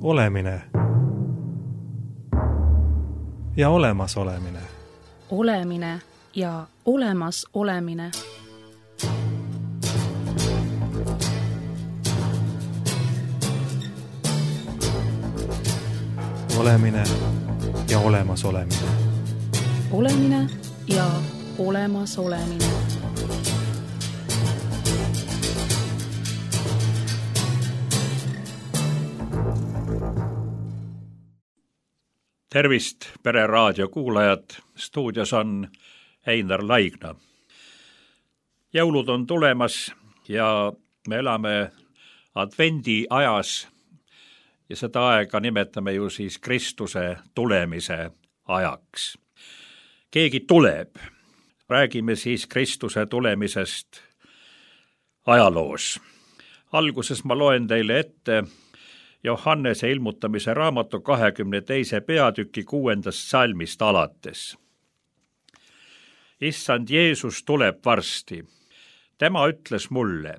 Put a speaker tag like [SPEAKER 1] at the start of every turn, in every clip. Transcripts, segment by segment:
[SPEAKER 1] Olemine ja olemasolemine.
[SPEAKER 2] Olemine ja olemas olemine.
[SPEAKER 1] Olemine ja olemas olemine.
[SPEAKER 2] Olemine ja olemas olemine.
[SPEAKER 3] Tervist, Pere raadio kuulajad, stuudios on Einar Laigna. Jõulud on tulemas ja me elame advendi ajas ja seda aega nimetame ju siis Kristuse tulemise ajaks. Keegi tuleb. Räägime siis Kristuse tulemisest ajaloos. Alguses ma loen teile ette Johannese ilmutamise raamatu 22. peatüki 6. salmist alates. Issand Jeesus tuleb varsti. Tema ütles mulle,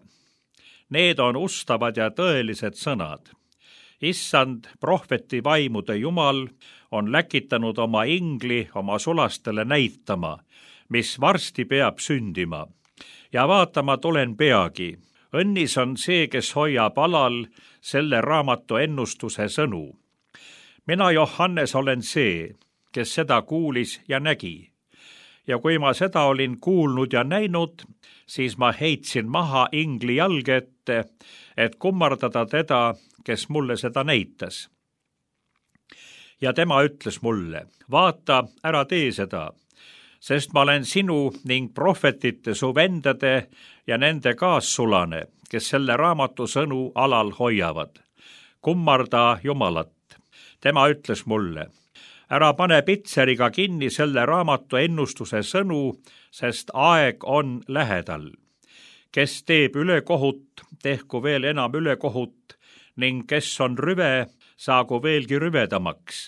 [SPEAKER 3] need on ustavad ja tõelised sõnad. Issand, prohveti vaimude Jumal, on läkitanud oma ingli oma sulastele näitama, mis varsti peab sündima. Ja vaatama tulen peagi. Õnnis on see, kes hoiab alal selle raamatu ennustuse sõnu. Mina, Johannes, olen see, kes seda kuulis ja nägi. Ja kui ma seda olin kuulnud ja näinud, siis ma heitsin maha ingli jalge ette, et kummardada teda, kes mulle seda näitas. Ja tema ütles mulle, vaata, ära tee seda, sest ma olen sinu ning prohvetite su vendade ja nende kaassulane, kes selle raamatu sõnu alal hoiavad. Kummarda Jumalat. Tema ütles mulle, ära pane pitseriga kinni selle raamatu ennustuse sõnu, sest aeg on lähedal. Kes teeb ülekohut, tehku veel enam ülekohut, ning kes on rüve, saagu veelgi rüvedamaks.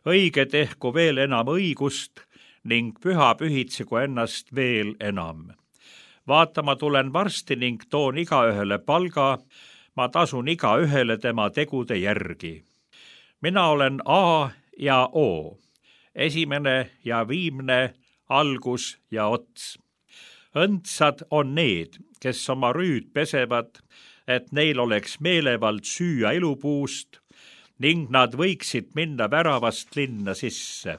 [SPEAKER 3] Õige tehku veel enam õigust, ning püha pühitsegu ennast veel enam. Vaata, ma tulen varsti ning toon igaühele palga, ma tasun igaühele tema tegude järgi. Mina olen A ja O, esimene ja viimne, algus ja ots. Õndsad on need, kes oma rüüd pesevad, et neil oleks meelevald süüa ilupuust ning nad võiksid minna väravast linna sisse.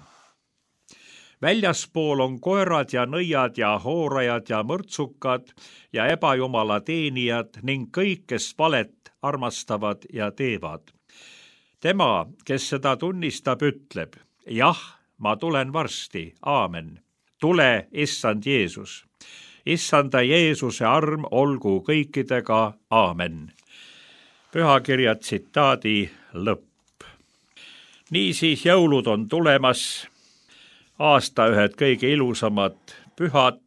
[SPEAKER 3] Väljaspool on koerad ja nõiad ja hoorajad ja mõrtsukad ja ebajumala teenijad ning kõik, kes valet armastavad ja teevad. Tema, kes seda tunnistab, ütleb, jah, ma tulen varsti, aamen. Tule, issand Jeesus. Issanda Jeesuse arm olgu kõikidega, aamen. Pühakirja tsitaadi lõpp. Niisiis jõulud on tulemas. Aasta ühed kõige ilusamad pühad.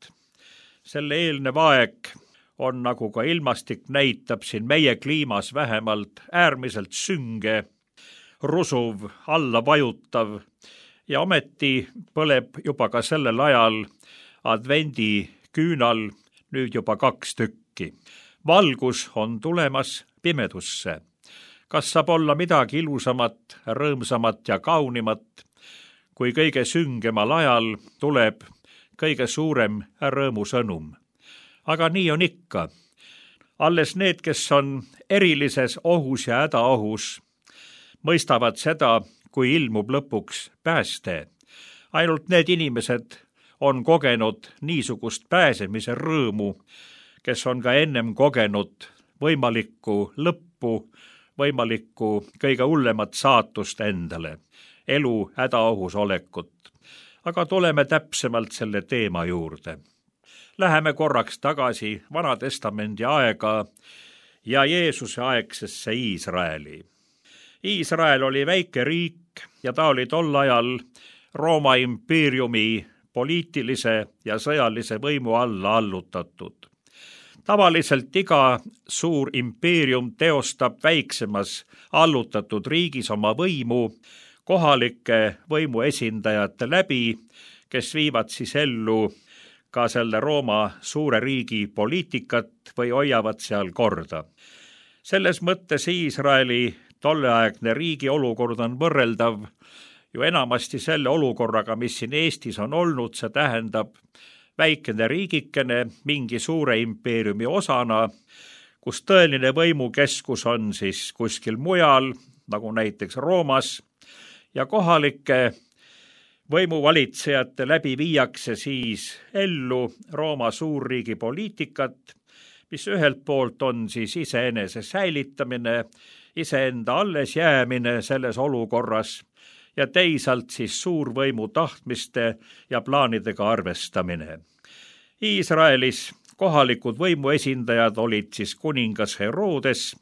[SPEAKER 3] Selle eelnev aeg on, nagu ka ilmastik näitab siin meie kliimas vähemalt, äärmiselt sünge, rusuv, alla vajutav ja ometi põleb juba ka sellel ajal advendi küünal nüüd juba 2 tükki. Valgus on tulemas pimedusse. Kas saab olla midagi ilusamat, rõõmsamat ja kaunimat, kui kõige süngemal ajal tuleb kõige suurem rõõmusõnum. Aga nii on ikka. Alles need, kes on erilises ohus ja hädaohus, mõistavad seda, kui ilmub lõpuks pääste. Ainult need inimesed on kogenud niisugust pääsemise rõõmu, kes on ka ennem kogenud võimalikku lõppu, võimalikku kõige hullemat saatust endale. Elu hädaohus olekut. Aga tuleme täpsemalt selle teema juurde. Läheme korraks tagasi Vana Testamendi aega ja Jeesuse aegsesse Iisraeli. Iisrael oli väike riik ja ta oli tol ajal Rooma impeeriumi poliitilise ja sõjalise võimu alla allutatud. Tavaliselt iga suur impeerium teostab väiksemas allutatud riigis oma võimu kohalike võimuesindajate läbi, kes viivad siis ellu ka selle Rooma suure riigi poliitikat või hoiavad seal korda. Selles mõttes Iisraeli tolleaegne riigi olukord on võrreldav ju enamasti selle olukorraga, mis siin Eestis on olnud, see tähendab väikene riigikene mingi suure impeeriumi osana, kus tõeline võimukeskus on siis kuskil mujal, nagu näiteks Roomas, ja kohalike võimuvalitsejate läbi viiakse siis ellu Rooma suurriigi poliitikat, mis ühelt poolt on siis iseenese säilitamine, iseenda alles jäämine selles olukorras ja teisalt siis suurvõimu tahtmiste ja plaanidega arvestamine. Iisraelis kohalikud võimuesindajad olid siis kuningas Herodes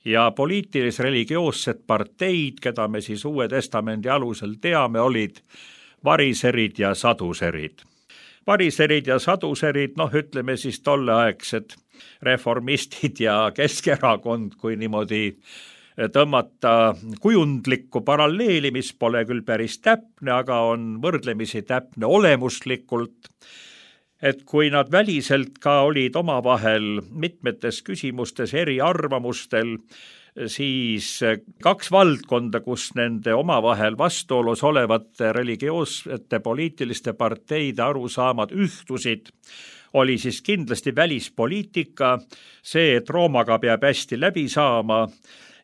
[SPEAKER 3] ja poliitilis-religioossed parteid, keda me siis Uue Testamendi alusel teame, olid variserid ja saduserid. Variserid ja saduserid, ütleme siis tolleaegsed reformistid ja Keskerakond, kui niimoodi tõmmata kujundlikku paralleeli, mis pole küll päris täpne, aga on võrdlemisi täpne olemuslikult, et kui nad väliselt ka olid omavahel mitmetes küsimustes eriarvamustel, siis kaks valdkonda, kus nende omavahel vastuolus olevate religioossete poliitiliste parteide arusaamad ühtusid, oli siis kindlasti välispoliitika, see, et Roomaga peab hästi läbi saama,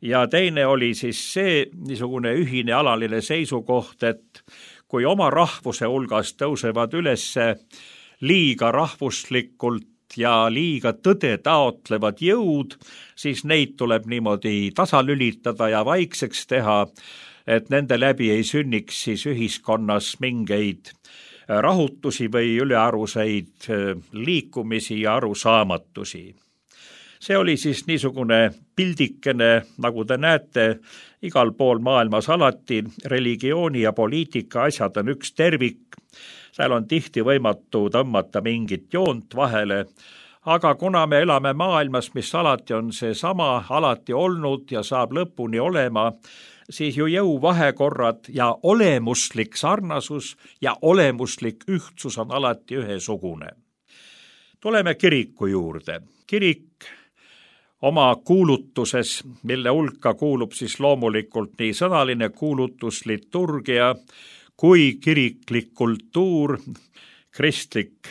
[SPEAKER 3] ja teine oli siis see niisugune ühine alaline seisukoht, et kui oma rahvuse hulgas tõusevad üles liiga rahvuslikult ja liiga tõde taotlevad jõud, siis neid tuleb niimoodi tasalülitada ja vaikseks teha, et nende läbi ei sünniks siis ühiskonnas mingeid rahutusi või ülearuseid liikumisi ja arusaamatusi. See oli siis niisugune pildikene, nagu te näete, igal pool maailmas alati religiooni ja poliitika asjad on üks tervik. Seal on tihti võimatu tõmmata mingit joont vahele, aga kuna me elame maailmas, mis alati on seesama, alati olnud ja saab lõpuni olema, siis ju jõuvahekorrad ja olemuslik sarnasus ja olemuslik ühtsus on alati ühesugune. Tuleme kiriku juurde. Kirik oma kuulutuses, mille hulka kuulub siis loomulikult nii sõnaline kuulutus, liturgia, kui kiriklik kultuur, kristlik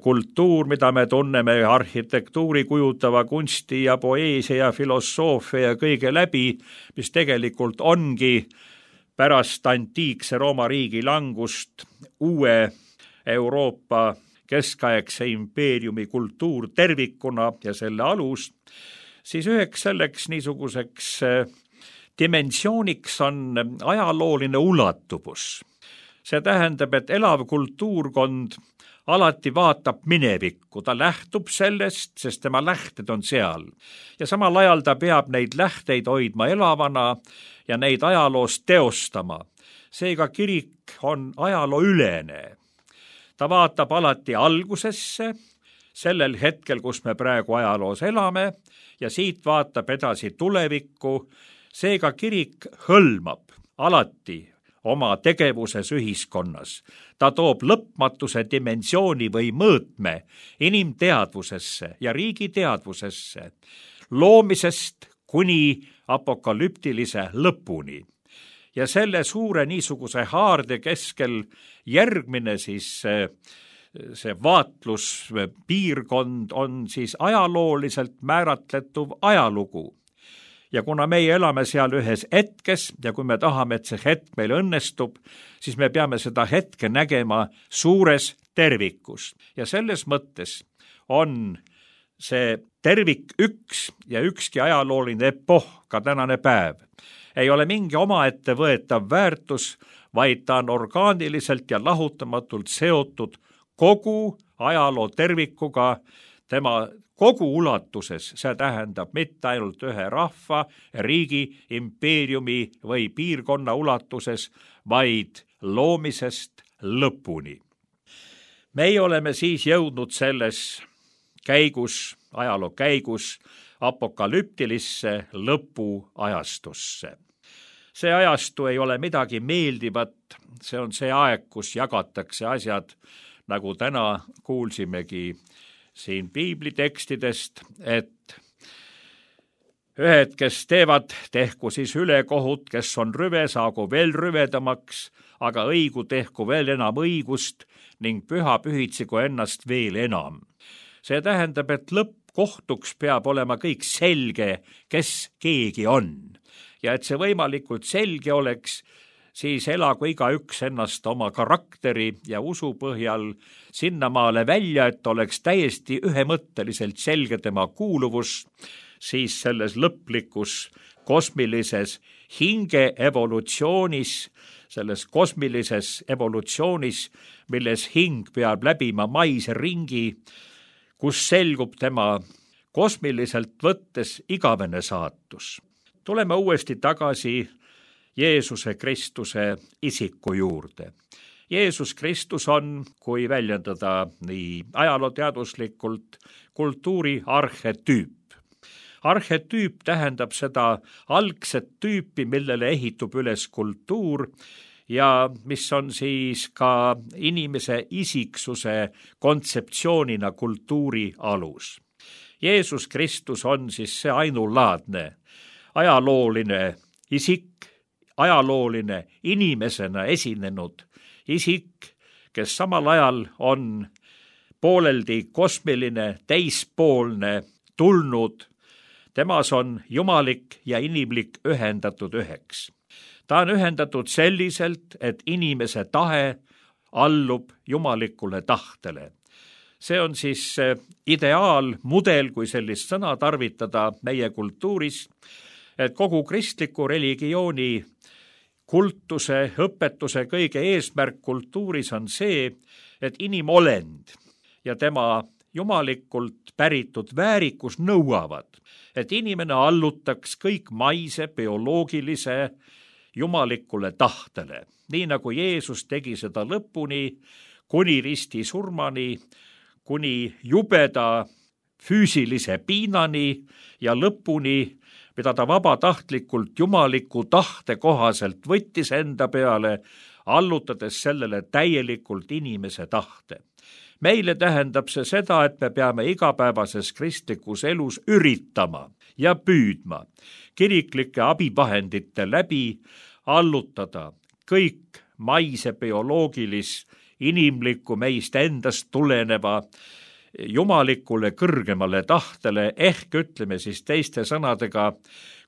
[SPEAKER 3] kultuur, mida me tunneme arhitektuuri kujutava kunsti ja poeesia ja filosoofia ja kõige läbi, mis tegelikult ongi pärast antiikse Rooma riigi langust uue Euroopa keskaegse impeeriumi kultuur tervikuna ja selle alus, siis üheks selleks niisuguseks dimensiooniks on ajalooline ulatuvus. See tähendab, et elav kultuurkond alati vaatab minevikku, ta lähtub sellest, sest tema lähted on seal. Ja samal ajal ta peab neid lähteid hoidma elavana ja neid ajaloos teostama. Seega kirik on ajalooülene. Ta vaatab alati algusesse, sellel hetkel, kus me praegu ajaloos elame, ja siit vaatab edasi tulevikku. Seega kirik hõlmab alati oma tegevuses ühiskonnas. Ta toob lõpmatuse dimensiooni või mõõtme inimteadvusesse ja riigi teadvusesse, loomisest kuni apokalüptilise lõpuni. Ja selle suure niisuguse haarde keskel järgmine siis see vaatluspiirkond on siis ajalooliselt määratletuv ajalugu. Ja kuna meie elame seal ühes hetkes ja kui me tahame, et see hetk meil õnnestub, siis me peame seda hetke nägema suures tervikus. Ja selles mõttes on see tervik üks ja ükski ajalooline epoh, ka tänane päev, ei ole mingi omaette võetav väärtus, vaid ta on orgaaniliselt ja lahutamatult seotud kogu ajaloo tervikuga, tema kogu ulatuses, see tähendab mitte ainult ühe rahva, riigi, impeeriumi või piirkonna ulatuses, vaid loomisest lõpuni. Meie oleme siis jõudnud selles käigus, ajaloo käigus, apokalüptilisse lõpuajastusse. See ajastu ei ole midagi meeldivat, see on see aeg, kus jagatakse asjad, nagu täna kuulsimegi siin piiblitekstidest, et ühed, kes teevad, tehku siis ülekohut, kes on rüve, saagu veel rüvedamaks, aga õigu tehku veel enam õigust ning püha pühitsigu ennast veel enam. See tähendab, et lõppkohtuks peab olema kõik selge, kes keegi on. Ja et see võimalikult selge oleks, siis elagu igaüks ennast oma karakteri ja usu põhjal sinnamaale välja, et oleks täiesti ühemõtteliselt selge tema kuuluvus, siis selles lõplikus kosmilises hinge evolutsioonis, selles kosmilises evolutsioonis, milles hing peab läbima maise ringi, kus selgub tema kosmiliselt võttes igavene saatus. Tuleme uuesti tagasi Jeesuse Kristuse isiku juurde. Jeesus Kristus on, kui väljendada nii ajalooteaduslikult, kultuuri arhetüüp. Arhetüüp tähendab seda algset tüüpi, millele ehitub üles kultuur ja mis on siis ka inimese isiksuse kontseptsioonina kultuuri alus. Jeesus Kristus on siis see ainulaadne ajalooline isik, ajalooline inimesena esinenud isik, kes samal ajal on pooleldi kosmiline, teispoolne, tulnud. Temas on jumalik ja inimlik ühendatud üheks. Ta on ühendatud selliselt, et inimese tahe allub jumalikule tahtele. See on siis ideaalmudel, kui sellist sõna tarvitada meie kultuuris, et kogu kristliku religiooni kultuse, õpetuse kõige eesmärk kultuuris on see, et inimolend ja tema jumalikult päritud väärikus nõuavad, et inimene allutaks kõik maise, bioloogilise, jumalikule tahtele. Nii nagu Jeesus tegi seda lõpuni, kuni risti surmani, kuni jubeda füüsilise piinani ja lõpuni, mida ta vabatahtlikult jumaliku tahte kohaselt võttis enda peale, allutades sellele täielikult inimese tahte. Meile tähendab see seda, et me peame igapäevases kristlikus elus üritama ja püüdma kiriklike abivahendite läbi allutada kõik maise bioloogilis, inimlikku meist endast tuleneva jumalikule kõrgemale tahtele, ehk ütleme siis teiste sõnadega,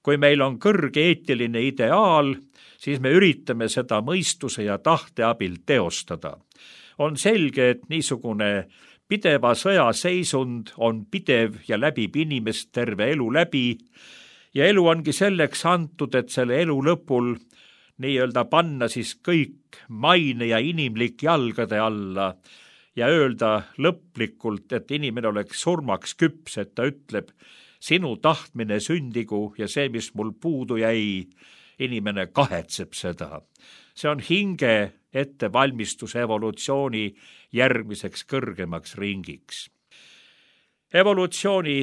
[SPEAKER 3] kui meil on kõrge eetiline ideaal, siis me üritame seda mõistuse ja tahte abil teostada. On selge, et niisugune pideva sõjaseisund on pidev ja läbib inimest terve elu läbi ja elu ongi selleks antud, et selle elu lõpul nii-öelda panna siis kõik maine ja inimlik jalgade alla ja öelda lõplikult, et inimene oleks surmaks küps, et ta ütleb, sinu tahtmine sündigu ja see, mis mul puudu jäi, inimene kahetseb seda. See on hinge ettevalmistus evolutsiooni järgmiseks kõrgemaks ringiks. Evolutsiooni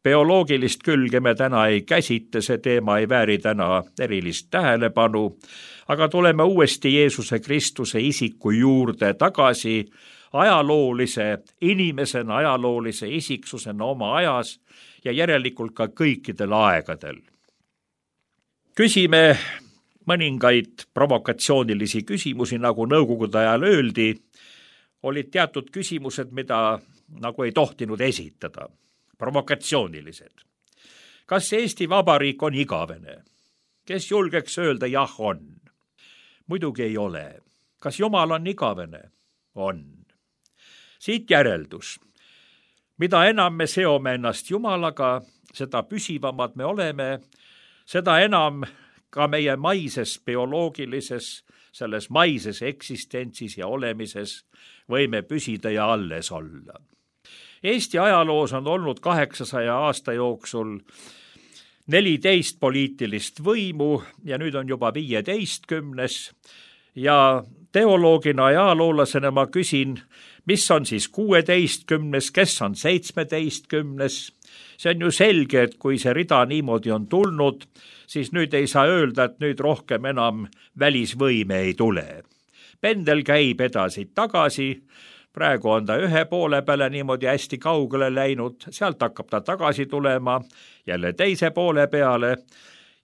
[SPEAKER 3] bioloogilist külge me täna ei käsitle, see teema ei vääri täna erilist tähelepanu, aga tuleme uuesti Jeesuse Kristuse isiku juurde tagasi ajaloolise inimesena, ajaloolise isiksusena oma ajas ja järelikult ka kõikidel aegadel. Küsime mõningaid provokatsioonilisi küsimusi, nagu nõukogude ajal öeldi, olid teatud küsimused, mida nagu ei tohtinud esitada, provokatsioonilised. Kas Eesti Vabariik on igavene? Kes julgeks öelda jah on? Muidugi ei ole. Kas Jumal on igavene? On. Siit järeldus. Mida enam me seome ennast Jumalaga, seda püsivamad me oleme, seda enam ka meie maises bioloogilises, selles maises eksistentsis ja olemises võime püsida ja alles olla. Eesti ajaloos on olnud 800 aasta jooksul 14 poliitilist võimu ja nüüd on juba 15. Ja teoloogina ja ajaloolasena ma küsin, mis on siis 16., kes on 17. See on ju selge, et kui see rida niimoodi on tulnud, siis nüüd ei saa öelda, et nüüd rohkem enam välisvõime ei tule. Pendel käib edasi-tagasi, praegu on ta ühe poole peale niimoodi hästi kaugele läinud, sealt hakkab ta tagasi tulema jälle teise poole peale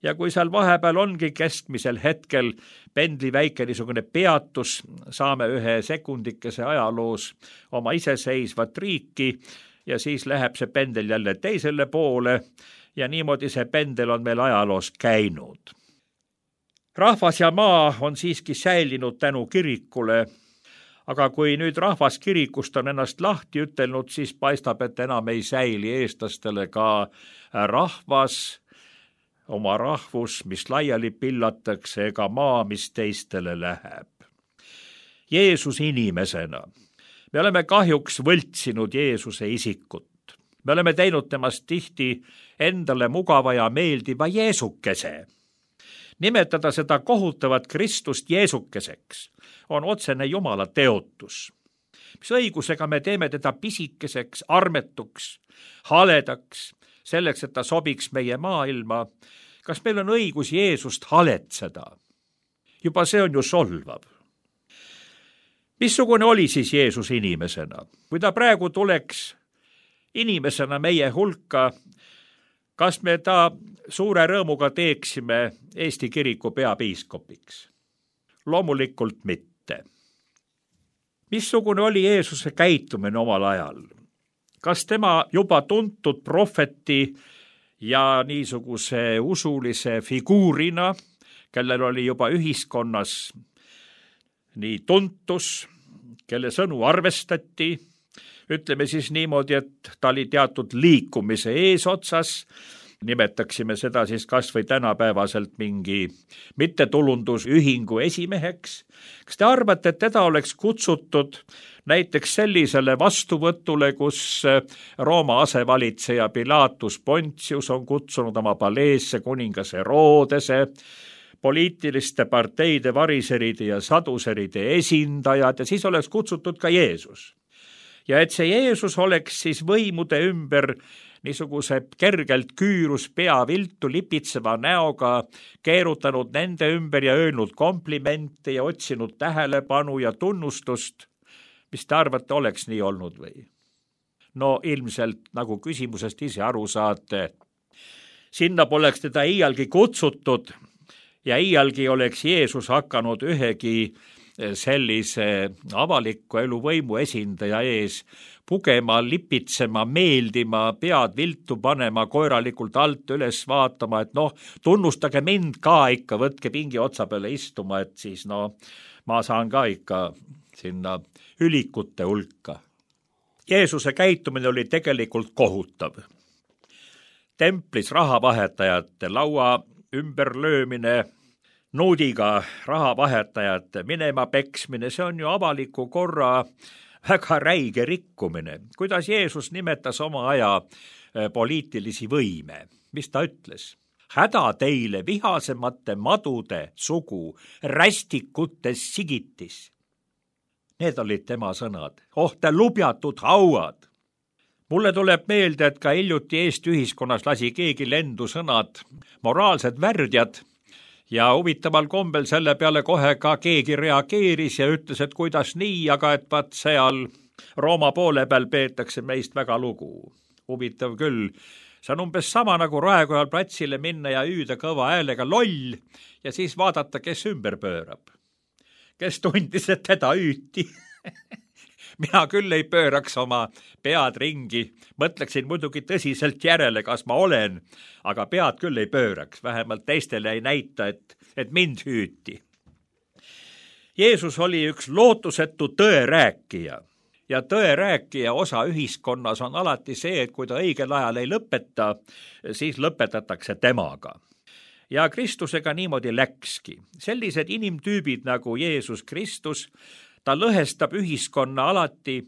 [SPEAKER 3] ja kui seal vahepeal ongi keskmisel hetkel pendli väike niisugune peatus, saame ühe sekundikese ajaloos oma iseseisvat riiki ja siis läheb see pendel jälle teisele poole ja niimoodi see pendel on meil ajaloos käinud. Rahvas ja maa on siiski säilinud tänu kirikule, aga kui nüüd rahvas kirikust on ennast lahti ütelnud, siis paistab, et enam ei säili eestlastele ka rahvas, oma rahvus, mis laiali pillatakse, ega maa, mis teistele läheb. Jeesus inimesena. Me oleme kahjuks võltsinud Jeesuse isikut. Me oleme teinud temast tihti endale mugava ja meeldiva Jeesukese. Nimetada seda kohutavat Kristust Jeesukeseks on otsene Jumala teotus. Mis õigusega me teeme teda pisikeseks, armetuks, haledaks, selleks, et ta sobiks meie maailma. Kas meil on õigus Jeesust haletseda? Juba see on ju solvav. Missugune oli siis Jeesus inimesena? Kui ta praegu tuleks inimesena meie hulka, kas me ta suure rõõmuga teeksime Eesti kiriku peapiiskopiks? Loomulikult mitte. Missugune oli Jeesuse käitumine omal ajal? Kas tema juba tuntud prohveti ja niisuguse usulise figuurina, kellel oli juba ühiskonnas nii tuntus, kelle sõnu arvestati, ütleme siis niimoodi, et ta oli teatud liikumise eesotsas, nimetaksime seda siis kas või tänapäevaselt mingi mittetulundusühingu esimeheks. Kas te arvate, et teda oleks kutsutud näiteks sellisele vastuvõtule, kus Rooma asevalitseja Pilatus Pontius on kutsunud oma paleesse kuningas Herodese, poliitiliste parteide variseride ja saduseride esindajad ja siis oleks kutsutud ka Jeesus. Ja et see Jeesus oleks siis võimude ümber niisuguse kergelt küürus pea viltu lipitseva näoga keerutanud nende ümber ja öelnud komplimente ja otsinud tähelepanu ja tunnustust. Mis te arvate, oleks nii olnud või? No ilmselt, nagu küsimusest ise aru saate, sinna poleks teda iialgi kutsutud ja iialgi oleks Jeesus hakanud ühegi sellise avaliku elu võimu esindaja ees pugema, lipitsema, meeldima, pead viltu panema, koeralikult alt üles vaatama, et tunnustage mind ka ikka, võtke pingi otsa peale istuma, et siis ma saan ka ikka sinna ülikute hulka. Jeesuse käitumine oli tegelikult kohutav. Templis rahavahetajate laua ümberlöömine, nuudiga rahavahetajate minema peksmine, see on ju avaliku korra väga räige rikkumine. Kuidas Jeesus nimetas oma aja poliitilisi võime? Mis ta ütles? Häda teile vihasemate madude sugu, rästikutes sigitis. Need olid tema sõnad. Te lubjatud hauad. Mulle tuleb meelde, et ka hiljuti Eesti ühiskonnas lasi keegi lendu sõnad moraalsed värdjad ja huvitaval kombel selle peale kohe ka keegi reageeris ja ütles, et kuidas nii, aga et vaat seal Rooma poole peal peetakse meist väga lugu. Huvitav küll. See on umbes sama nagu Raekojal platsile minna ja hüüda kõva häälega loll ja siis vaadata, kes ümber pöörab. Kes tundis, et teda hüüti. Mina küll ei pööraks oma pead ringi, mõtleksin muidugi tõsiselt järele, kas ma olen, aga pead küll ei pööraks, vähemalt teistele ei näita, et mind hüüti. Jeesus oli üks lootusetu tõerääkija ja tõerääkija osa ühiskonnas on alati see, et kui ta õigel ajal ei lõpeta, siis lõpetatakse temaga. Ja Kristusega niimoodi läkski. Sellised inimtüübid nagu Jeesus Kristus, ta lõhestab ühiskonna alati,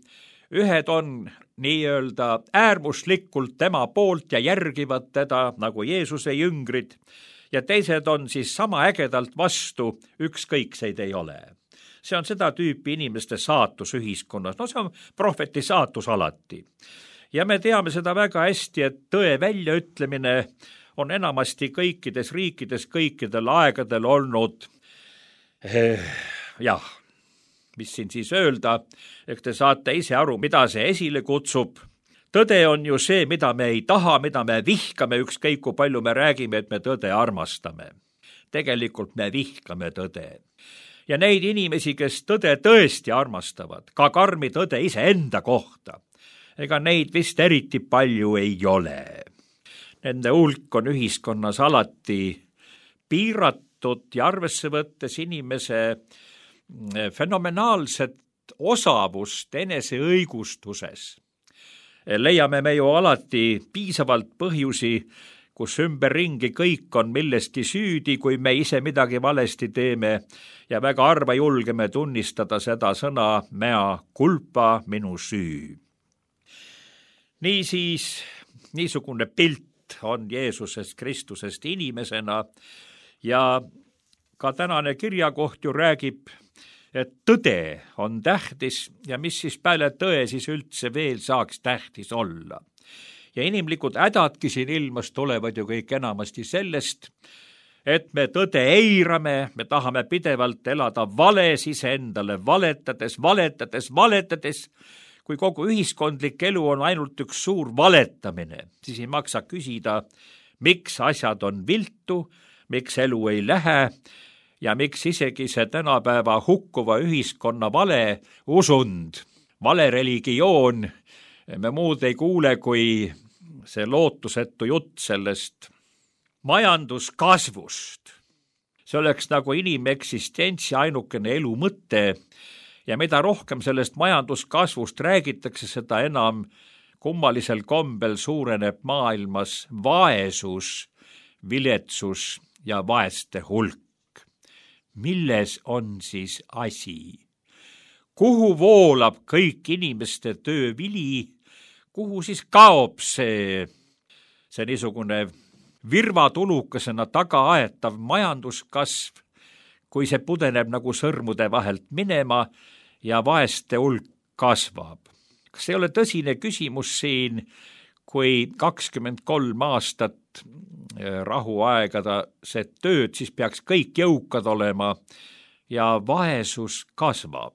[SPEAKER 3] ühed on nii-öelda äärmuslikult tema poolt ja järgivad teda nagu Jeesuse jüngrid ja teised on siis sama ägedalt vastu, ükskõikseid ei ole. See on seda tüüpi inimeste saatus ühiskonnas, see on prohveti saatus alati. Ja me teame seda väga hästi, et tõe väljaütlemine on enamasti kõikides riikides kõikidel aegadel olnud mis siin siis öelda, eks te saate ise aru, mida see esile kutsub. Tõde on ju see, mida me ei taha, mida me vihkame, ükskõik kui palju me räägime, et me tõde armastame. Tegelikult me vihkame tõde. Ja neid inimesi, kes tõde tõesti armastavad, ka karmi tõde iseenda kohta, ega neid vist eriti palju ei ole. Nende hulk on ühiskonnas alati piiratud ja arvesse võttes inimese fenomenaalset osavust eneseõigustuses. Leiame me ju alati piisavalt põhjusi, kus ümberringi kõik on millestki süüdi, kui me ise midagi valesti teeme ja väga harva julgeme tunnistada seda sõna mea culpa, minu süü. Niisiis, niisugune pilt on Jeesusest Kristusest inimesena ja ka tänane kirjakoht ju räägib, et tõde on tähtis ja mis siis peale tõe siis üldse veel saaks tähtis olla. Ja inimlikud hädadki siin ilmas tulevad ju kõik enamasti sellest, et me tõde eirame, me tahame pidevalt elada vales iseendale, valetades, kui kogu ühiskondlik elu on ainult üks suur valetamine, siis ei maksa küsida, miks asjad on viltu, miks elu ei lähe ja miks isegi see tänapäeva hukkuva ühiskonna vale usund, vale religioon, me muud ei kuule kui see lootusetu jutt sellest majanduskasvust. See oleks nagu inimeksistentsi ainukene elu mõte ja mida rohkem sellest majanduskasvust räägitakse, seda enam kummalisel kombel suureneb maailmas vaesus, viletsus ja vaeste hulk. Milles on siis asi? Kuhu voolab kõik inimeste töövili? Kuhu siis kaob see niisugune virvatulukesena taga aetav majanduskasv, kui see pudeneb nagu sõrmude vahelt minema ja vaeste hulk kasvab? Kas ei ole tõsine küsimus siin, kui 23 aastat rahuaegada see tööd, siis peaks kõik jõukad olema ja vaesus kasvab?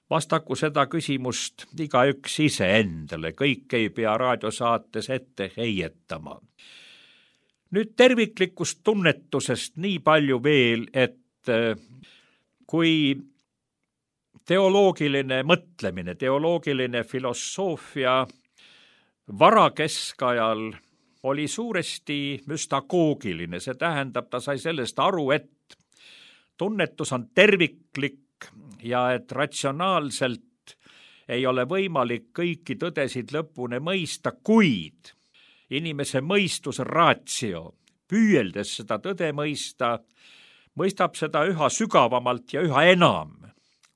[SPEAKER 3] Vastaku seda küsimust igaüks iseendale, kõik ei pea raadiosaates ette heietama. Nüüd terviklikust tunnetusest nii palju veel, et kui teoloogiline mõtlemine, teoloogiline filosoofia varakeskajal oli suuresti müstagoogiline, see tähendab, ta sai sellest aru, et tunnetus on terviklik ja et ratsionaalselt ei ole võimalik kõiki tõdesid lõpuni mõista, kuid inimese mõistus ratio, püüeldes seda tõde mõista, mõistab seda üha sügavamalt ja üha enam,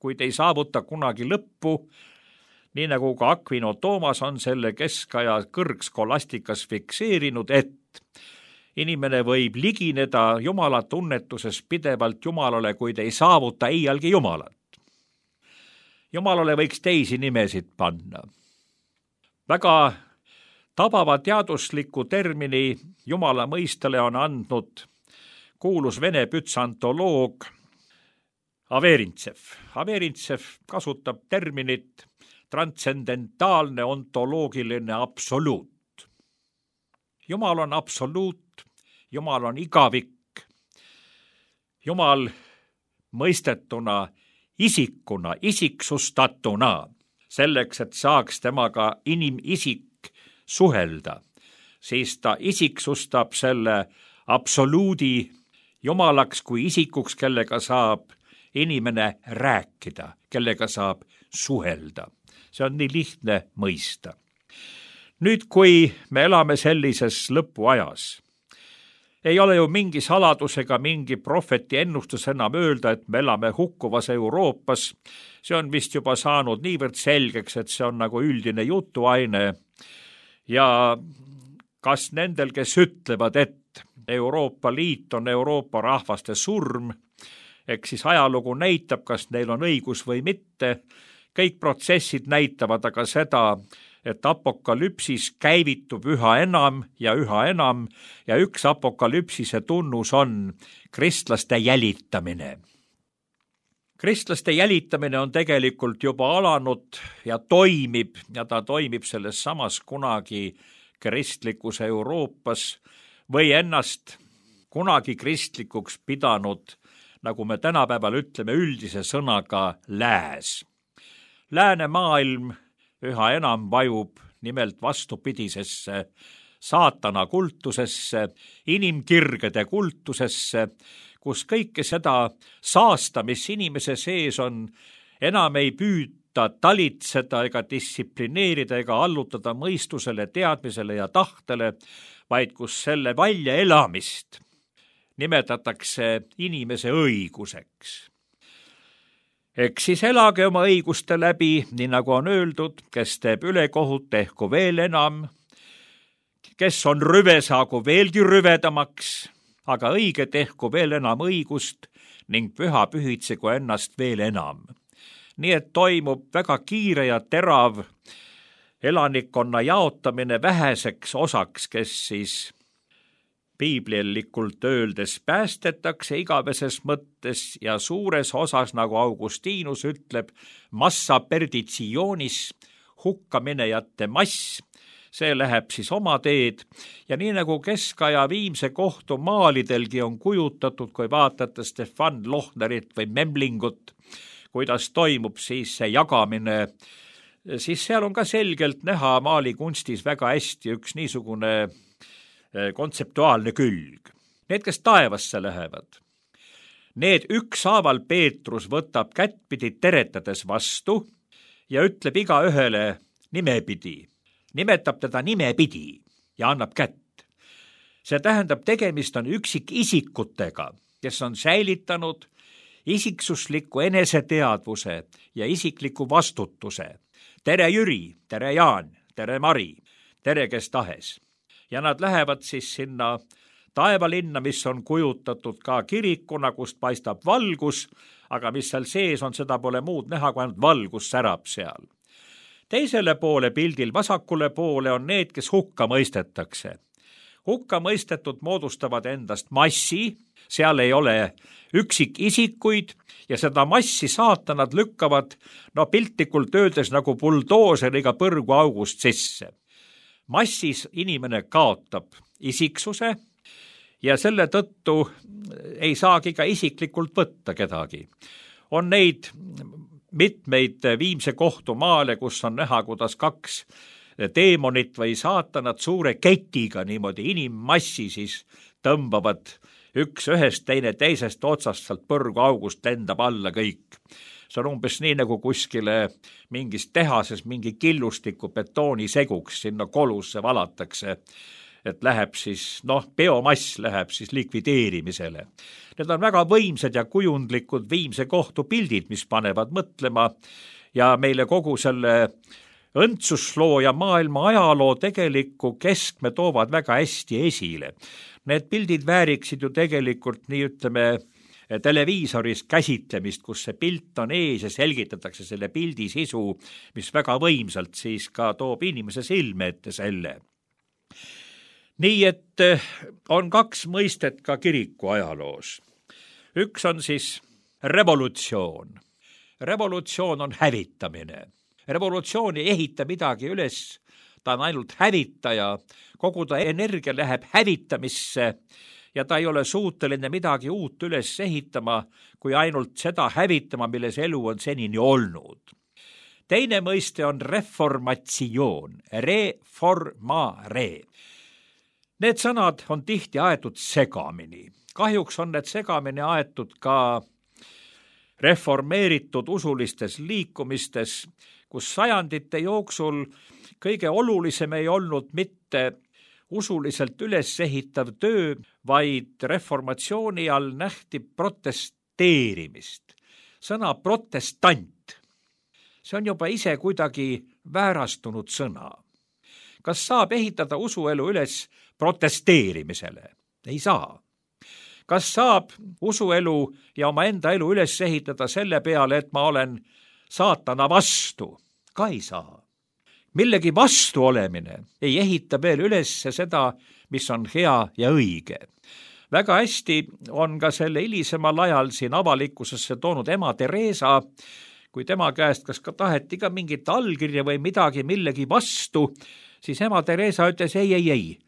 [SPEAKER 3] kuid ei saavuta kunagi lõppu, nii nagu ka Aquino Toomas on selle keskaja kõrgskolastikas fikseerinud, et inimene võib ligineda Jumala tunnetuses pidevalt Jumalale, kuid ei saavuta iialgi Jumalat. Jumalale võiks teisi nimesid panna. Väga tabava teadusliku termini Jumala mõistele on andnud kuulus vene bütsantoloog Averintsev. Averintsev kasutab terminit transcendentaalne ontoloogiline absoluut. Jumal on absoluut, Jumal on igavik, Jumal mõistetuna, isikuna, isiksustatuna, selleks, et saaks temaga inimisik suhelda, siis ta isiksustab selle absoluudi Jumalaks kui isikuks, kellega saab inimene rääkida, kellega saab suhelda. See on nii lihtne mõista. Nüüd, kui me elame sellises lõpuajas, ei ole ju mingi saladus ega mingi prohveti ennustus enam öelda, et me elame hukkuvas Euroopas. See on vist juba saanud niivõrd selgeks, et see on nagu üldine jutuaine. Ja kas nendel, kes ütlevad, et Euroopa Liit on Euroopa rahvaste surm, eks siis ajalugu näitab, kas neil on õigus või mitte. Kõik protsessid näitavad aga seda, et apokalüpsis käivitub üha enam ja üks apokalüpsise tunnus on kristlaste jälitamine. Kristlaste jälitamine on tegelikult juba alanud ja ta toimib selles samas kunagi kristlikus Euroopas või ennast kunagi kristlikuks pidanud, nagu me tänapäeval ütleme üldise sõnaga, lääs. Läänemaailm üha enam vajub nimelt vastupidisesse saatana kultusesse, inimkirgede kultusesse, kus kõike seda saasta, mis inimese sees on, enam ei püüta talitseda ega distsiplineerida ega allutada mõistusele, teadmisele ja tahtele, vaid kus selle väljaelamist nimetatakse inimese õiguseks. Eks siis elage oma õiguste läbi, nii nagu on öeldud, kes teeb ülekohut, tehku veel enam, kes on rüve, saagu veelgi rüvedamaks, aga õige tehku veel enam õigust ning püha pühitsegu ennast veel enam. Nii et toimub väga kiire ja terav elanikkonna jaotamine väheseks osaks, kes siis piiblilikult öeldes päästetakse igaveses mõttes ja suures osas, nagu Augustinus ütleb, massa perditionis, hukkaminejate mass, see läheb siis oma teed ja nii nagu keskaja Viimse kohtu maalidelgi on kujutatud, kui vaatate Stefan Lohnerit või Memlingut, kuidas toimub siis see jagamine, siis seal on ka selgelt näha maalikunstis väga hästi üks niisugune kontseptuaalne külg. Need, kes taevasse lähevad, need ükshaaval Peetrus võtab kättpidi teretades vastu ja ütleb igaühele nimepidi, nimetab teda nimepidi ja annab kätt. See tähendab, tegemist on üksikisikutega, kes on säilitanud isiksusliku eneseteadvuse ja isikliku vastutuse. Tere Jüri, tere Jaan, tere Mari, tere kes tahes. Ja nad lähevad siis sinna taevalinna, mis on kujutatud ka kirikuna, kust paistab valgus, aga mis seal sees on, seda pole muud näha, kui ainult valgus särab seal. Teisele poole pildil, vasakule poole on need, kes hukka mõistetakse. Hukka mõistetud moodustavad endast massi, seal ei ole üksikisikuid ja seda massi saatanad lükkavad, piltlikult öeldes nagu buldooseriga põrguaugust sisse. Massis inimene kaotab isiksuse ja selle tõttu ei saagi ka isiklikult võtta kedagi. On neid mitmeid Viimse kohtu maale, kus on näha, kuidas kaks teemonit või saatanat suure ketiga niimoodi inimmassi siis tõmbavad üks ühest, teine teisest otsast, sealt põrguaugust lendab alla kõik. See on umbes nii, nagu kuskile mingis tehases mingi killustiku betooniseguks sinna kolusse valatakse, et läheb siis, biomass läheb siis likvideerimisele. Need on väga võimsad ja kujundlikud Viimse kohtu pildid, mis panevad mõtlema ja meile kogu selle õndsusloo ja maailma ajaloo tegelikku keskme toovad väga hästi esile. Need pildid vääriksid ju tegelikult nii ütleme televiisoris käsitlemist, kus see pilt on ees ja selgitatakse selle pildi sisu, mis väga võimsalt siis ka toob inimese silme ette selle. Nii et on kaks mõistet ka kiriku ajaloos. Üks on siis revolutsioon. Revolutsioon on hävitamine. Revolutsioon ei ehita midagi üles, ta on ainult hävitaja, kogu ta energia läheb hävitamisse ja ta ei ole suuteline midagi uut üles ehitama, kui ainult seda hävitama, milles elu on senini olnud. Teine mõiste on reformatsioon, reformare. Need sõnad on tihti aetud segamini. Kahjuks on need segamini aetud ka reformeeritud usulistes liikumistes, kus sajandite jooksul kõige olulisem ei olnud mitte usuliselt üles ehitav töö, vaid reformatsiooni all nähti protesteerimist. Sõna protestant, see on juba ise kuidagi väärastunud sõna. Kas saab ehitada usuelu üles protesteerimisele? Ei saa. Kas saab usuelu ja oma enda elu üles ehitada selle peale, et ma olen saatana vastu? Ka ei saa. Millegi vastu olemine ei ehita veel üles seda, mis on hea ja õige. väga hästi on ka selle hilisemal ajal siin avalikkusesse toonud ema Theresa, kui tema käest kas ka taheti ka mingit allkirja või midagi millegi vastu, siis ema Theresa ütles ei,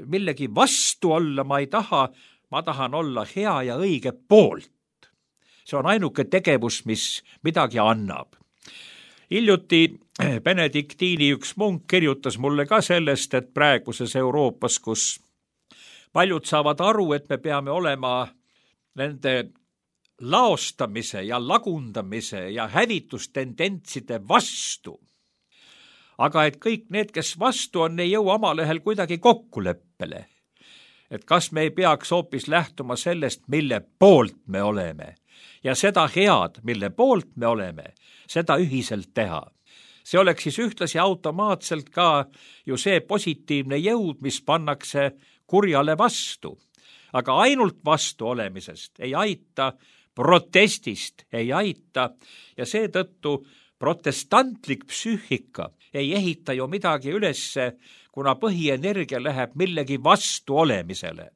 [SPEAKER 3] millegi vastu olla ma ei taha, ma tahan olla hea ja õige poolt. See on ainuke tegevus, mis midagi annab. Hiljuti Benediktiini üks munk kirjutas mulle ka sellest, et praeguses Euroopas, kus paljud saavad aru, et me peame olema nende laostamise ja lagundamise ja hävitustendentside vastu. Aga et kõik need, kes vastu on, ei jõua omalehel kuidagi kokkuleppele. Et kas me ei peaks hoopis lähtuma sellest, mille poolt me oleme ja seda head, mille poolt me oleme, seda ühiselt teha. See oleks siis ühtlasi automaatselt ka ju see positiivne jõud, mis pannakse kurjale vastu. Aga ainult vastu olemisest ei aita, protestist ei aita ja seetõttu protestantlik psüühika ei ehita ju midagi ülesse, kuna põhienergia läheb millegi vastu olemisele.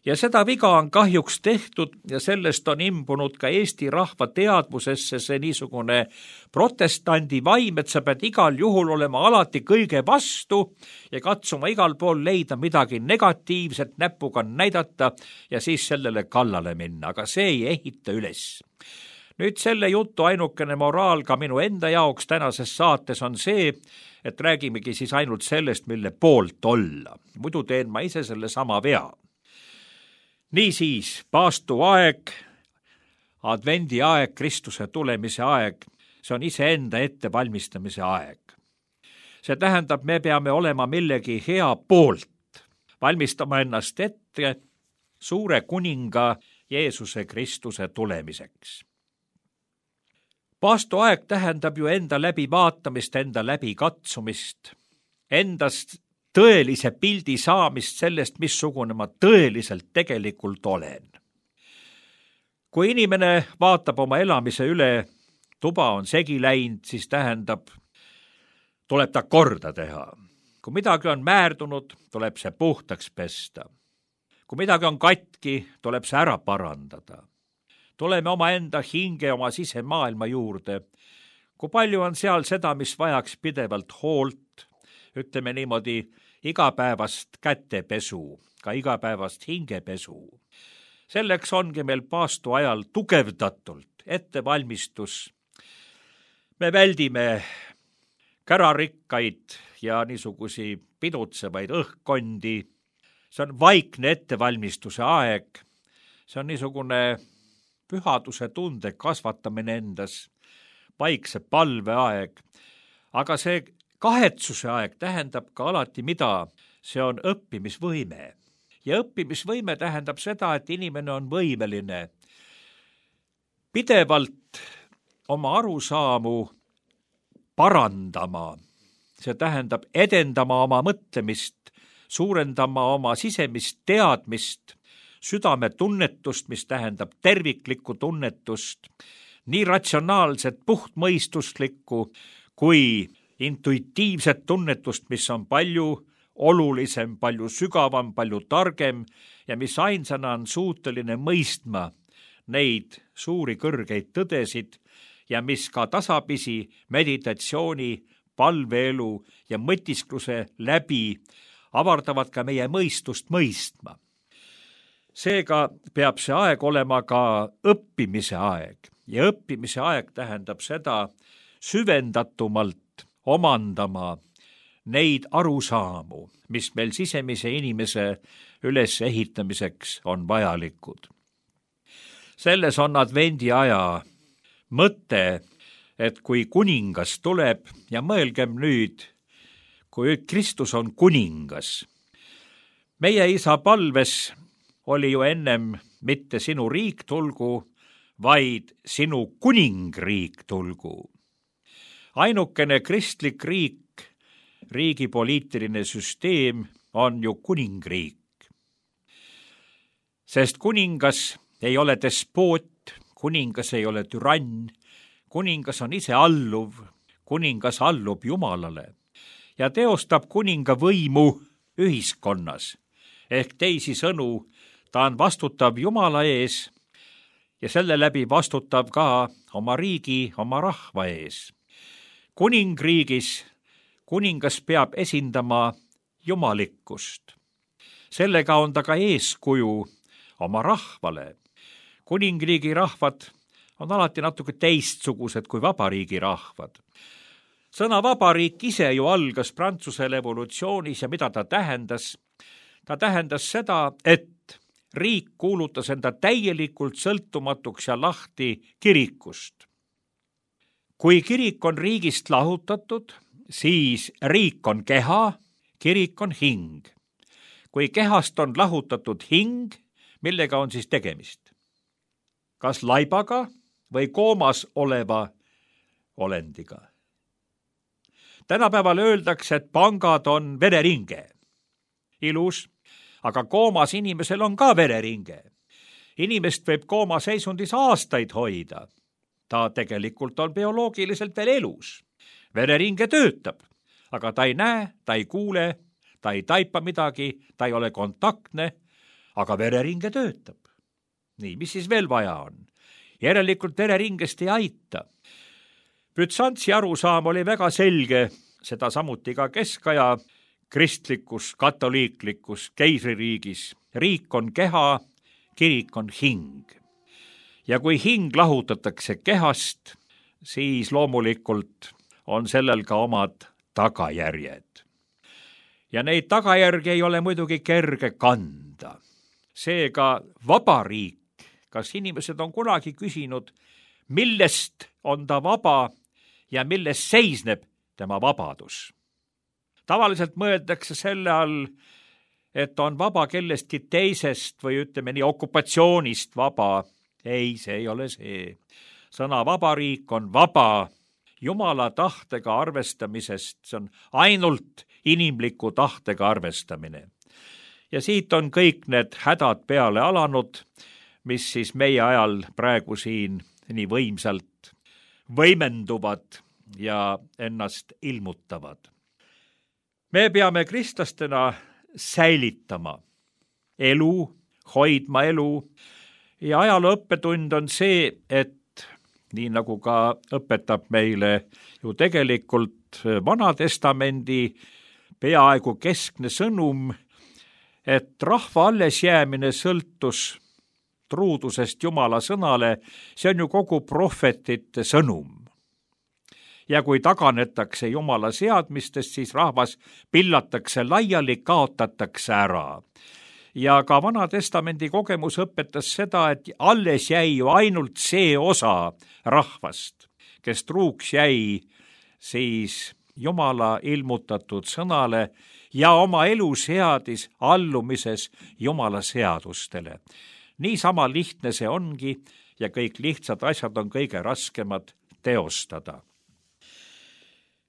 [SPEAKER 3] Ja seda viga on kahjuks tehtud ja sellest on imbunud ka Eesti rahva teadvusesse see niisugune protestandi vaim, et sa pead igal juhul olema alati kõige vastu ja katsuma igal pool leida midagi negatiivset, näpuga näidata ja siis sellele kallale minna, aga see ei ehita üles. Nüüd selle jutu ainukene moraal ka minu enda jaoks tänases saates on see, et räägimegi siis ainult sellest, mille poolt olla. Muidu teen ma ise selle sama vea. Niisiis, paastuaeg, advendi aeg, Kristuse tulemise aeg, see on iseenda ettevalmistamise aeg. See tähendab, me peame olema millegi hea poolt, valmistama ennast ette suure kuninga Jeesuse Kristuse tulemiseks. Paastuaeg tähendab ju enda läbivaatamist, enda läbikatsumist, endast tõelise pildi saamist sellest, missugune ma tõeliselt tegelikult olen. Kui inimene vaatab oma elamise üle, tuba on segi läinud, siis tähendab, tuleb ta korda teha. Kui midagi on määrdunud, tuleb see puhtaks pesta. Kui midagi on katki, tuleb see ära parandada. Tuleme oma enda hinge, oma sisemaailma juurde. Kui palju on seal seda, mis vajaks pidevalt hoolt, ütleme niimoodi, igapäevast kätepesu, ka igapäevast hingepesu. Selleks ongi meil paastu ajal tugevdatult ettevalmistus. Me väldime kärarikkaid ja niisugusi pidutsevaid õhkkondi. See on vaikne ettevalmistuse aeg. See on niisugune pühaduse tunde kasvatamine endas, vaikse palveaeg. Aga see kahetsuse aeg tähendab ka alati mida? See on õppimisvõime. Ja õppimisvõime tähendab seda, et inimene on võimeline pidevalt oma arusaamu parandama. See tähendab edendama oma mõtlemist, suurendama oma sisemist teadmist, südametunnetust, mis tähendab terviklikku tunnetust, nii ratsionaalset, puhtmõistuslikku kui intuitiivset tunnetust, mis on palju olulisem, palju sügavam, palju targem ja mis ainsana on suuteline mõistma neid suuri kõrgeid tõdesid ja mis ka tasapisi meditatsiooni, palveelu ja mõtiskluse läbi avardavad ka meie mõistust mõistma. Seega peab see aeg olema ka õppimise aeg ja õppimise aeg tähendab seda süvendatumalt omandama neid arusaamu, mis meil sisemise inimese ülesehitamiseks on vajalikud. Selles on advendi aja mõte, et kui kuningas tuleb ja mõelgem nüüd, kui Kristus on kuningas. Meie isa palves oli ju ennem mitte sinu riik tulgu, vaid sinu kuningriik tulgu. Ainukene kristlik riik, riigi poliitiline süsteem on ju kuningriik. Sest kuningas ei ole despoot, kuningas ei ole türann, kuningas on ise alluv, kuningas allub Jumalale ja teostab kuninga võimu ühiskonnas ehk teisisõnu ta on vastutav Jumala ees ja selle läbi vastutav ka oma riigi, oma rahva ees. Kuningriigis kuningas peab esindama jumalikkust. Sellega on ta ka eeskuju oma rahvale. Kuningriigi rahvad on alati natuke teistsugused kui vabariigi rahvad. Sõna vabariik ise ju algas Prantsuse revolutsioonis ja mida ta tähendas? Ta tähendas seda, et riik kuulutas enda täielikult sõltumatuks ja lahti kirikust. Kui kirik on riigist lahutatud, siis riik on keha, kirik on hing. Kui kehast on lahutatud hing, millega on siis tegemist? Kas laibaga või koomas oleva olendiga? Tänapäeval öeldakse, et pangad on vereringe. Ilus, aga koomas inimesel on ka vereringe. Inimest võib kooma seisundis aastaid hoida. Ta tegelikult on bioloogiliselt veel elus. Vereringe töötab, aga ta ei näe, ta ei kuule, ta ei taipa midagi, ta ei ole kontaktne, aga vereringe töötab. Nii, mis siis veel vaja on? Järelikult vereringest ei aita. Bütsantsi arusaam oli väga selge, seda samuti ka keskaja kristlikus, katoliiklikus keisririigis. Riik on keha, kirik on hing. Ja kui hing lahutatakse kehast, siis loomulikult on sellel ka omad tagajärjed. Ja neid tagajärgi ei ole muidugi kerge kanda. Seega vabariik, kas inimesed on kunagi küsinud, millest on ta vaba ja milles seisneb tema vabadus? Tavaliselt mõeldakse selle all, et on vaba kellestki teisest või ütleme nii okupatsioonist vaba. Ei, see ei ole see. Sõna vabariik on vaba Jumala tahtega arvestamisest, see on ainult inimliku tahtega arvestamine. Ja siit on kõik need hädad peale alanud, mis siis meie ajal praegu siin nii võimsalt võimenduvad ja ennast ilmutavad. Me peame kristlastena säilitama elu, hoidma elu ja ajaloo õppetund on see, et nii nagu ka õpetab meile ju tegelikult Vana Testamendi peaaegu keskne sõnum, et rahva allesjäämine sõltus truudusest Jumala sõnale, see on ju kogu prohvetite sõnum. Ja kui taganetakse Jumala seadmistest, siis rahvas pillatakse laiali, kaotatakse ära. Ja ka Vana Testamendi kogemus õpetas seda, et alles jäi ju ainult see osa rahvast, kes truuks jäi siis Jumala ilmutatud sõnale ja oma elu seadis allumises Jumala seadustele. Niisama lihtne see ongi ja kõik lihtsad asjad on kõige raskemad teostada.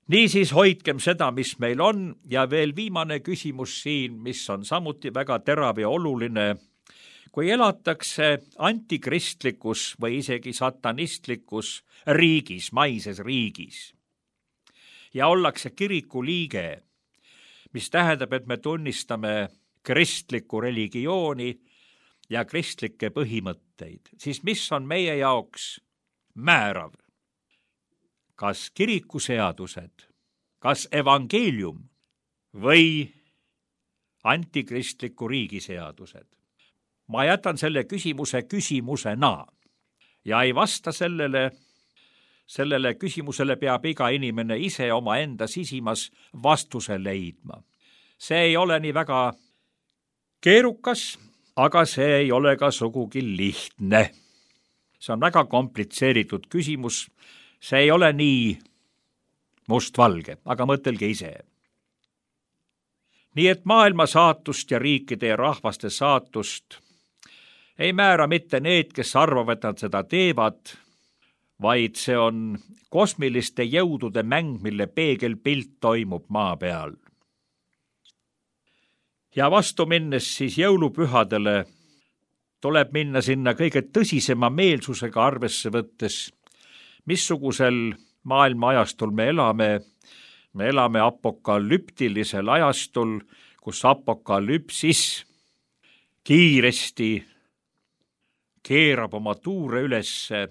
[SPEAKER 3] Niisiis hoidkem seda, mis meil on ja veel viimane küsimus siin, mis on samuti väga terav ja oluline. Kui elatakse antikristlikus või isegi satanistlikus riigis, maises riigis ja ollakse kiriku liige, mis tähendab, et me tunnistame kristlikku religiooni ja kristlikke põhimõtteid, siis mis on meie jaoks määrav? Kas kirikuseadused, kas evangeelium või antikristliku riigi seadused? Ma jätan selle küsimuse küsimusena ja ei vasta sellele küsimusele peab iga inimene ise omaenda sisimas vastuse leidma. See ei ole nii väga keerukas, aga see ei ole ka sugugi lihtne. See on väga komplitseeritud küsimus. See ei ole nii mustvalge, aga mõtelge ise. Nii et maailma saatust ja riikide ja rahvaste saatust ei määra mitte need, kes arvavad, et nad seda teevad, vaid see on kosmiliste jõudude mäng, mille peegelpilt toimub maa peal. Ja vastu minnes siis jõulupühadele tuleb minna sinna kõige tõsisema meelsusega arvesse võttes, missugusel maailma ajastul me elame. Me elame apokalüptilisel ajastul, kus apokalüpsis kiiresti keerab oma tuure ülesse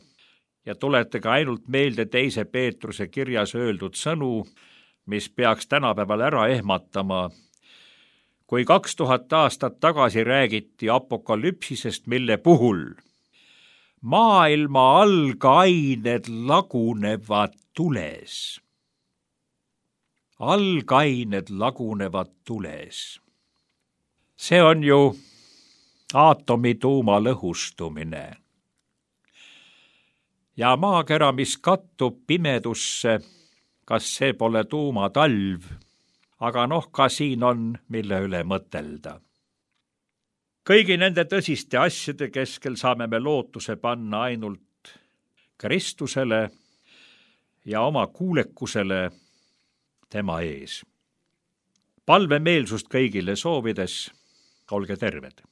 [SPEAKER 3] ja tuletage ainult meelde 2. Peetruse kirjas öeldud sõnu, mis peaks tänapäeval ära ehmatama. Kui 2000 aastat tagasi räägiti apokalüpsisest, mille puhul maailma algained lagunevad tules. Algained lagunevad tules. See on ju aatomituuma lõhustumine. Ja maakera, mis kattub pimedusse, kas see pole tuumatalv, aga ka siin on, mille üle mõtelda. Kõigi nende tõsiste asjade keskel saame me lootuse panna ainult Kristusele ja oma kuulekusele tema ees. Palvemeelsust kõigile soovides, olge terved!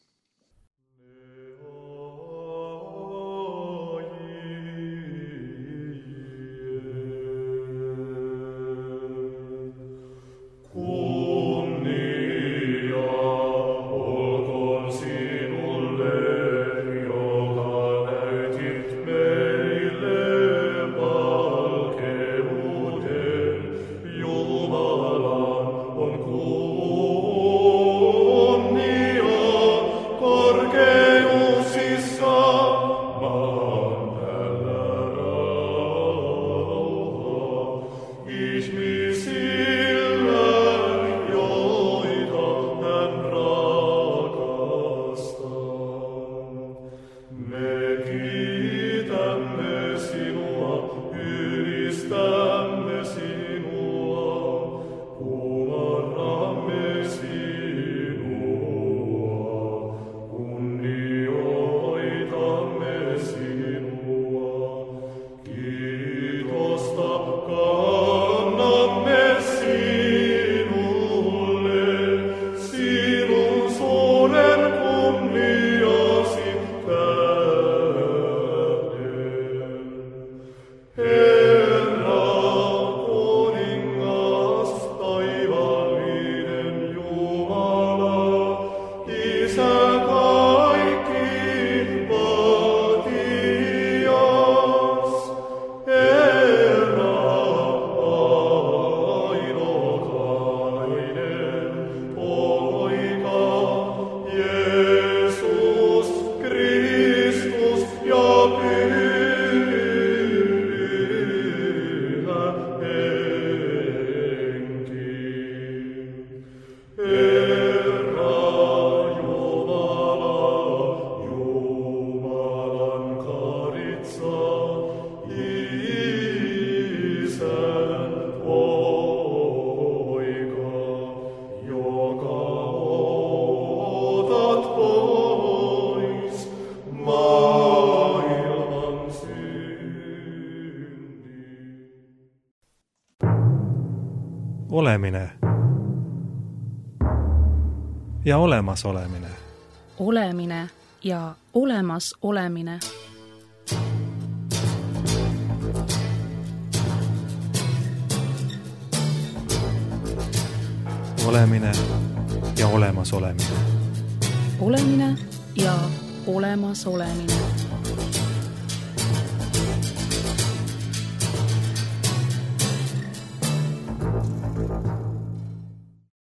[SPEAKER 1] Olemine ja olemasolemine.
[SPEAKER 2] Olemine ja olemas olemine.
[SPEAKER 1] Olemine ja olemas olemine.
[SPEAKER 2] Olemine ja olemas olemine.